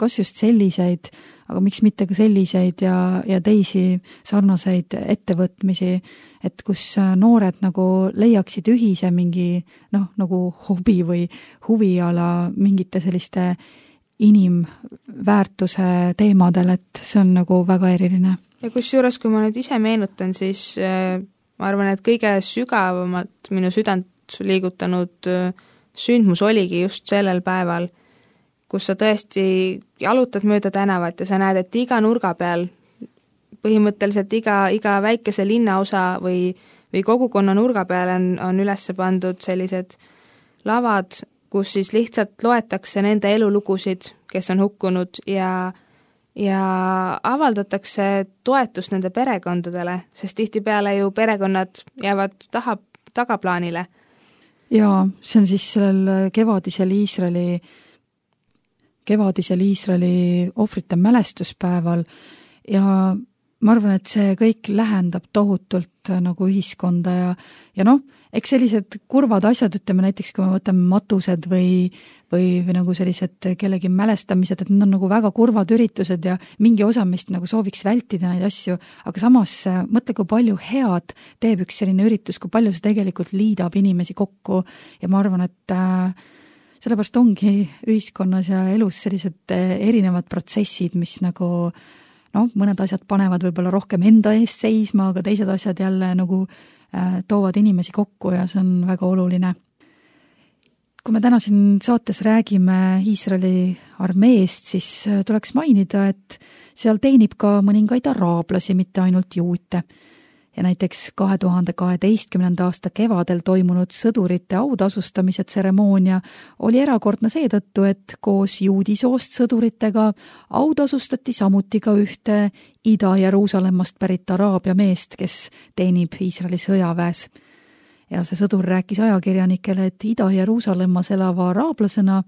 kas just selliseid, aga miks mitte ka selliseid ja teisi sarnaseid ettevõtmisi, et kus noored nagu leiaksid ühise mingi nagu hobi või huviala mingite selliste inimväärtuse teemadel, et see on nagu väga eriline. Ja kusjuures, kui ma nüüd ise meenutan, siis ma arvan, et kõige sügavamalt minu südant liigutanud sündmus oligi just sellel päeval, kus sa tõesti jalutad mööda tänavat ja sa näed, et iga nurga peal, põhimõtteliselt iga väikese linnaosa või kogukonna nurga peal on üles pandud sellised lavad, kus siis lihtsalt loetakse nende elulugusid, kes on hukkunud ja avaldatakse toetust nende perekondadele, sest tihtipeale ju perekonnad jäävad tagaplaanile. Ja see on siis sellel kevadisel Iisraeli ohvrite mälestuspäeval ja ma arvan, et see kõik lähendab tohutult nagu ühiskonda ja eks sellised kurvad asjad, ütleme näiteks, kui me võtame matused või nagu sellised kellegi mälestamised, et need on nagu väga kurvad üritused ja mingi osa meist nagu sooviks vältida neid asju, aga samas mõtle, kui palju head teeb üks selline üritus, kui palju see tegelikult liidab inimesi kokku ja ma arvan, et sellepärast ongi ühiskonnas ja elus sellised erinevad protsessid, mis nagu mõned asjad panevad võib-olla rohkem enda eest seisma, aga teised asjad jälle nagu toovad inimesi kokku ja see on väga oluline. Kui me täna siin saates räägime Iisraeli armeest, siis tuleks mainida, et seal teenib ka mõningaid araablasi, mitte ainult juute. Ja näiteks 2012. aasta kevadel toimunud sõdurite autasustamise tseremoonia oli erakordne seetõttu, et koos juudisoost sõduritega autasustati samuti ka ühte Ida-Jeruusalemmast pärit araabia meest, kes teenib Iisraeli sõjaväes. Ja see sõdur rääkis ajakirjanikele, et Ida-Jeruusalemmas elava araablasena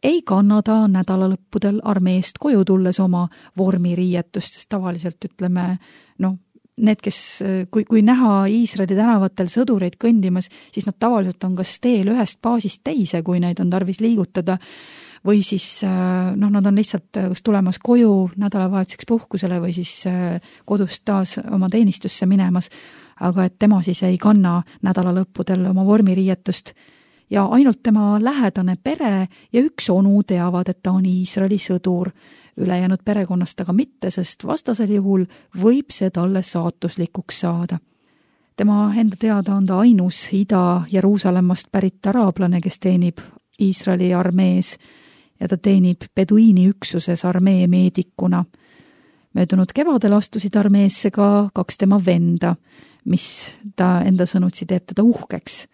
ei kanna ta nädalalõppudel armeest koju tulles oma vormiriietust, sest tavaliselt ütleme, need, kes, kui näha Iisraeli tänavatel sõdureid kõndimas, siis nad tavaliselt on kas teel ühest baasist teise, kui neid on tarvis liigutada, või siis nad on lihtsalt kas tulemas koju nädalavahetuseks puhkusele või siis kodust taas oma teenistusse minemas, aga et tema siis ei kanna nädalalõppudel oma vormiriietust ja ainult tema lähedane pere ja üks onu teavad, et ta on Iisraeli sõdur. Ülejäänud perekonnast aga mitte, sest vastasel juhul võib see talle saatuslikuks saada. Tema enda teada on ta ainus Ida-Jeruusalemmast pärit araablane, kes teenib Iisraeli armees ja ta teenib beduiini üksuses armee meedikuna. Möödunud kevadel astusid armeesse ka 2 tema venda, mis ta enda sõnutsi teeb teda uhkeks.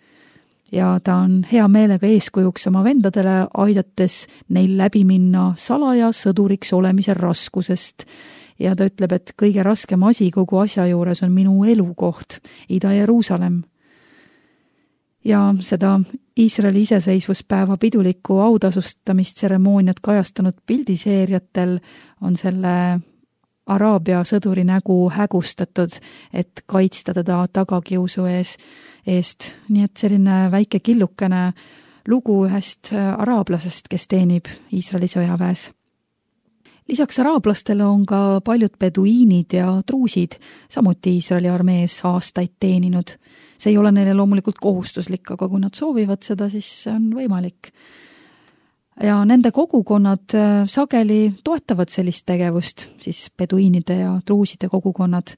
Ja ta on hea meelega eeskujuks oma vendadele, aidates neil läbi minna salaja sõduriks olemise raskusest. Ja ta ütleb, et kõige raskem asi kogu asja juures on minu elukoht, Ida-Jeruusalem. Ja seda Iisraeli iseseisvuspäeva pidulikku autasustamisterremooniat kajastanud pildiseeriatel on selle araabia sõduri nägu hägustatud, et kaitsta teda tagakiusu eest. Nii et selline väike killukene lugu ühest araablasest, kes teenib Iisraeli sõjaväes. Lisaks araablastele on ka paljud beduiinid ja truusid samuti Iisraeli armees aastaid teeninud. See ei ole neile loomulikult kohustuslik, aga kui nad soovivad seda, siis see on võimalik. Ja nende kogukonnad sageli toetavad sellist tegevust, siis beduiinide ja truuside kogukonnad.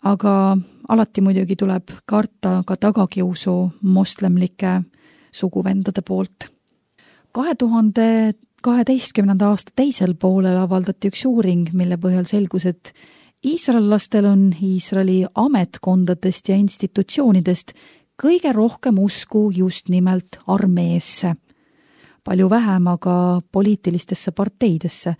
Aga alati muidugi tuleb karta ka tagakiusu moslemlike suguvendade poolt. 2012. aasta teisel poolel avaldati üks uuring, mille põhjal selgus, et iisraellastel on Iisraeli ametkondadest ja institutsioonidest kõige rohkem usku just nimelt armeesse. Palju vähem aga poliitilistesse parteidesse.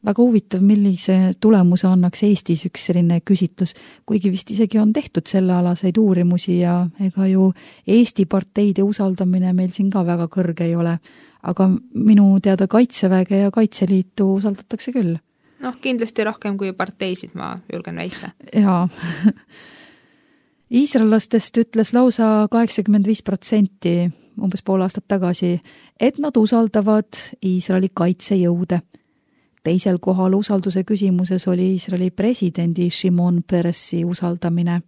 Väga huvitav, millise tulemuse annaks Eestis üks selline küsitlus, kuigi vist isegi on tehtud sellealaseid uurimusi ja ega ju Eesti parteide usaldamine meil siin ka väga kõrge ei ole. Aga minu teada Kaitseväge ja Kaitseliitu usaldatakse küll. Kindlasti rohkem kui parteisid, ma julgen väita. Jaa. Iisraellastest ütles lausa 85%, umbes pool aastat tagasi, et nad usaldavad Iisraeli kaitsejõude. Teisel kohal usalduse küsimuses oli Iisraeli presidendi Shimon Peresi usaldamine.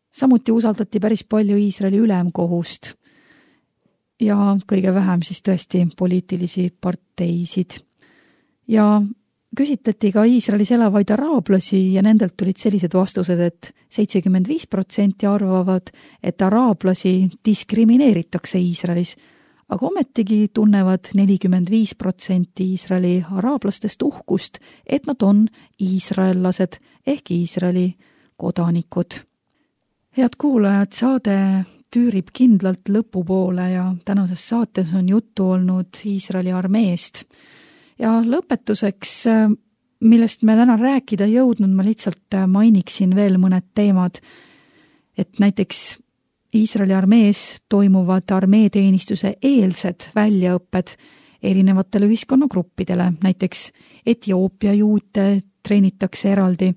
Samuti usaldati päris palju Iisraeli ülemkohust ja kõige vähem siis tõesti poliitilisi parteisid. Ja küsitleti ka Iisraelis elavaid araablasi ja nendelt tulid sellised vastused, et 75% arvavad, et araablasi diskrimineeritakse Iisraelis, aga ometigi tunnevad 45% Iisraeli araablastest uhkust, et nad on iisraellased ehk Iisraeli kodanikud. Head kuulajad, saade tüürib kindlalt lõpupoole ja tänases saates on juttu olnud Iisraeli armeest. Ja lõpetuseks, millest me täna rääkida jõudnud, ma lihtsalt mainiksin veel mõned teemad, et näiteks Iisraeli armees toimuvad armeeteenistuse eelsed väljaõpped erinevatele ühiskonnagruppidele, näiteks Etioopia juute treenitakse eraldi,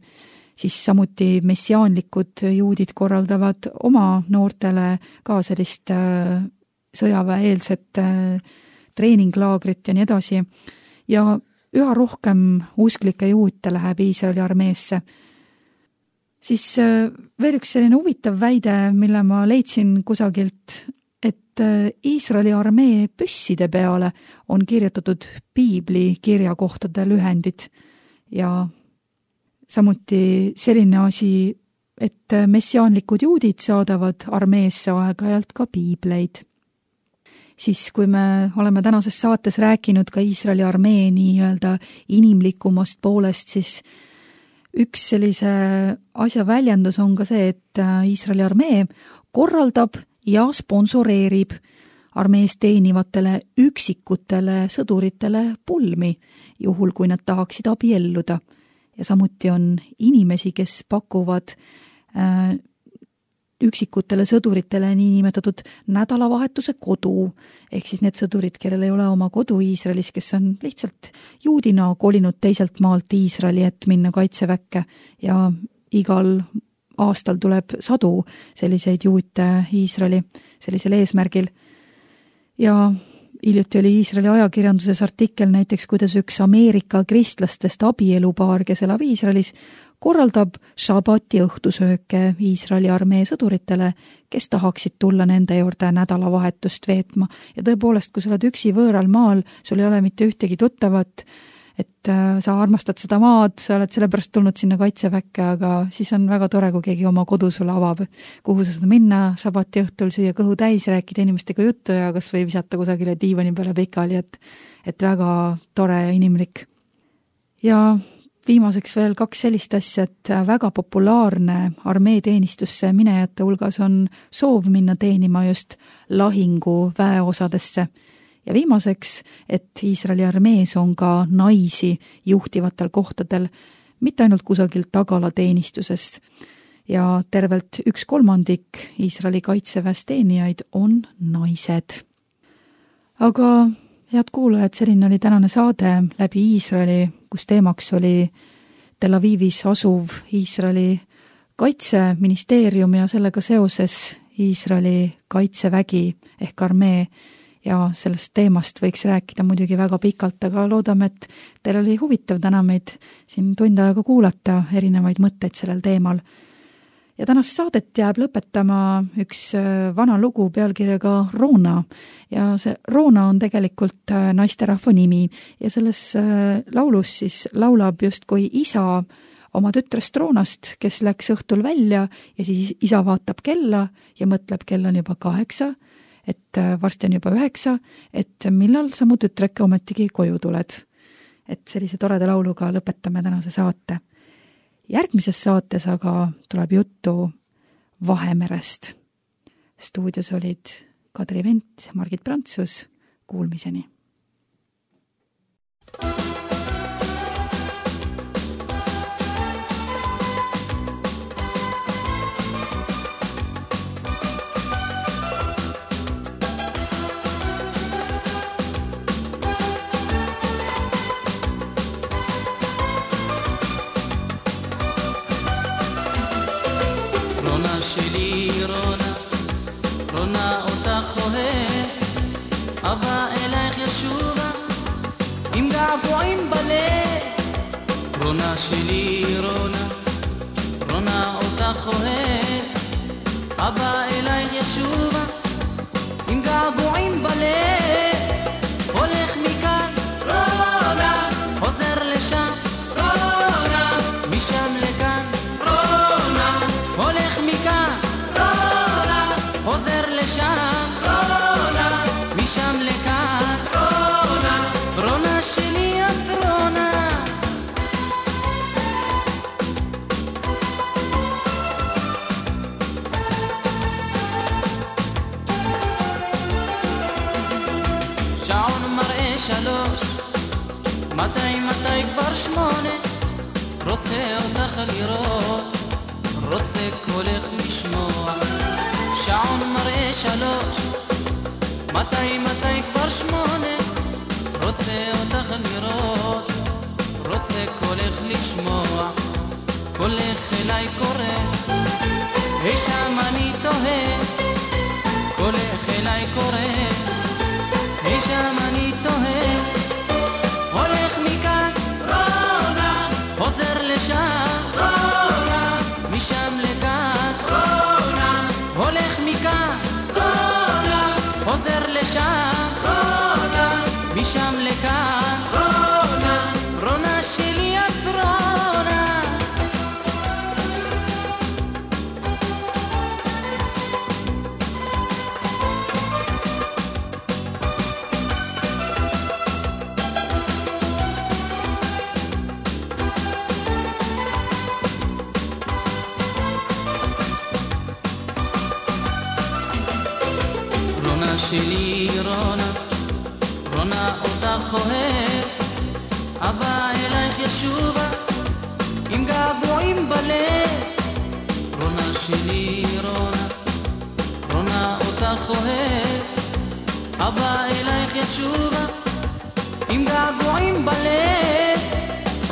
siis samuti messiaanlikud juudid korraldavad oma noortele ka sellist sõjaväeeelset treeninglaagrit ja nii edasi. Ja üha rohkem usklike juute läheb Iisraeli armeesse. Siis veel üks selline huvitav väide, mille ma leidsin kusagilt, et Iisraeli armee püsside peale on kirjutatud piibli kirjakohtade lühendid ja samuti selline asi, et messiaanlikud juudid saadavad armeesse aeg-ajalt ka piibleid. Siis kui me oleme tänases saates rääkinud ka Iisraeli armee nii-öelda inimlikumast poolest, siis üks sellise asja väljendus on ka see, et Iisraeli armee korraldab ja sponsoreerib armees teenivatele üksikutele sõduritele pulmi, juhul kui nad tahaksid abielluda. Ja samuti on inimesi, kes pakuvad üksikutele sõduritele niinimetatud nädalavahetuse kodu, ehk siis need sõdurid, kellel ei ole oma kodu Iisraelis, kes on lihtsalt juudina kolinud teiselt maalt Iisraeli, et minna kaitseväkke ja igal aastal tuleb sadu selliseid juute Iisraeli sellisel eesmärgil. Ja hiljuti oli Iisraeli ajakirjanduses artikkel näiteks, kuidas üks Ameerika kristlastest abielupaar, kes elab Iisraelis, korraldab šabati õhtusööke Iisraeli armee sõduritele, kes tahaksid tulla nende juurde nädalavahetust veetma. Ja tõepoolest, kui sa oled üksi võõral maal, sul ei ole mitte ühtegi tuttavat, et sa armastad seda maad, sa oled sellepärast tulnud sinna kaitseväkke, aga siis on väga tore, kui keegi oma kodu sulle avab, kuhu sa saad minna šabati õhtul, süüa kõhu täis, rääkida inimestega juttu ja kas või visata kusagile diivani peale pikali, et väga tore ja inimlik. Ja viimaseks veel 2 sellist asja, et väga populaarne armeeteenistusse minejate hulgas on soov minna teenima just lahingu väeosadesse. Ja viimaseks, et Iisraeli armees on ka naisi juhtivatel kohtadel, mitte ainult kusagil tagalateenistusest. Ja tervelt 1/3 Iisraeli kaitseväes teenijaid on naised. Aga head kuulajad, selline oli tänane saade läbi Iisraeli, kus teemaks oli Tel Avivis asuv Iisraeli kaitseministeerium ja sellega seoses Iisraeli kaitsevägi ehk armee. Ja sellest teemast võiks rääkida muidugi väga pikalt, aga loodame, et teil oli huvitav täna meid siin tund aega kuulata erinevaid mõtteid sellel teemal. Ja tänast saadet jääb lõpetama üks vana lugu pealkirjaga Roona. Ja see Roona on tegelikult naisterahva nimi ja selles laulus siis laulab justkui isa oma tütrest Roonast, kes läks õhtul välja ja siis isa vaatab kella ja mõtleb, kell on juba 8, et varsti on juba 9, et millal sa mu tütreke ometigi koju tuled. Et sellise toreda lauluga lõpetame tänase saate. järgmises saates aga tuleb juttu Vahemerest. Stuudios olid Kadri Vent, Margit Prantsus, kuulmiseni. שלי רונה אותך אוהב אבא אלייך ישובה עם געגועים בלב הולך מכאן רונה חוזר לשם רונה משם לכאן רונה הולך מכאן רונה חוזר לשם רונה משם לכאן רונה רונה שלי את רונה מתי כבר 8 רוצה אותך לראות רוצה קולך לשמוע שעון מראה 3 מתי כבר 8 רוצה אותך לראות רוצה קולך לשמוע קולך אליי קורא היי שם אני תוהה קולך אליי קורא היי שם אני תוהה הולך מכאן רונה חוזר לשם רונה משם לכאן רונה הולך מכאן רונה חוזר לשם רונה משם לכאן רונה רונה שלי את רונה שלי רונה אותך אוהב אבא אלייך ישובה עם געגועים בלב רונה שלי רונה אותך אוהב אבא אלייך ישובה עם געגועים בלב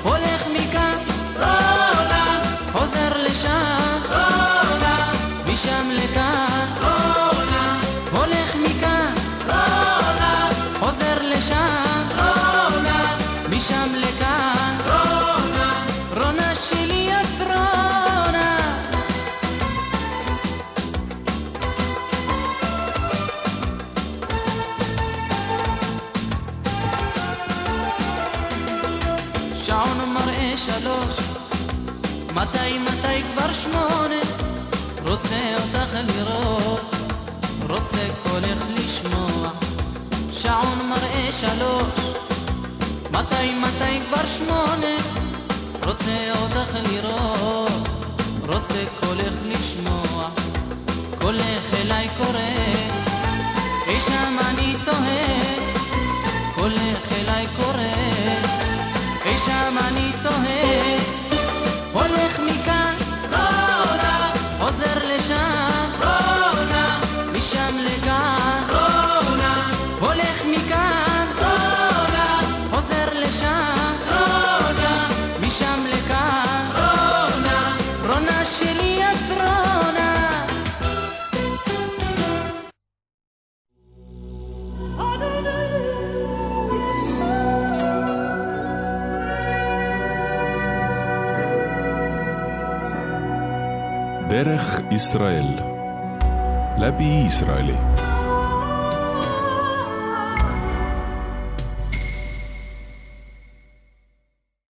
הולך מכאן רונה חוזר לשם רונה משם לכאן רונה הולך מכאן רונה חוזר לשם רונה משם לכאן רונה רונה שלי את רונה שעון מראה 3 מתי כבר 8 רוצה אותך לראות רוצה קולך לשמוע שעון מראה 3 מתי כבר 8 רוצה אותך לראות רוצה קולך לשמוע קולך אליי קורא אי שם אני תוהה קולך אליי קורא אי שם אני תוהה הולך מכאן רונה חוזר לשם רונה משם לכאן רונה הולך מכאן רונה חוזר לשם רונה משם לכאן רונה רונה שלי את רונה דרך ישראל, לבי ישראלי.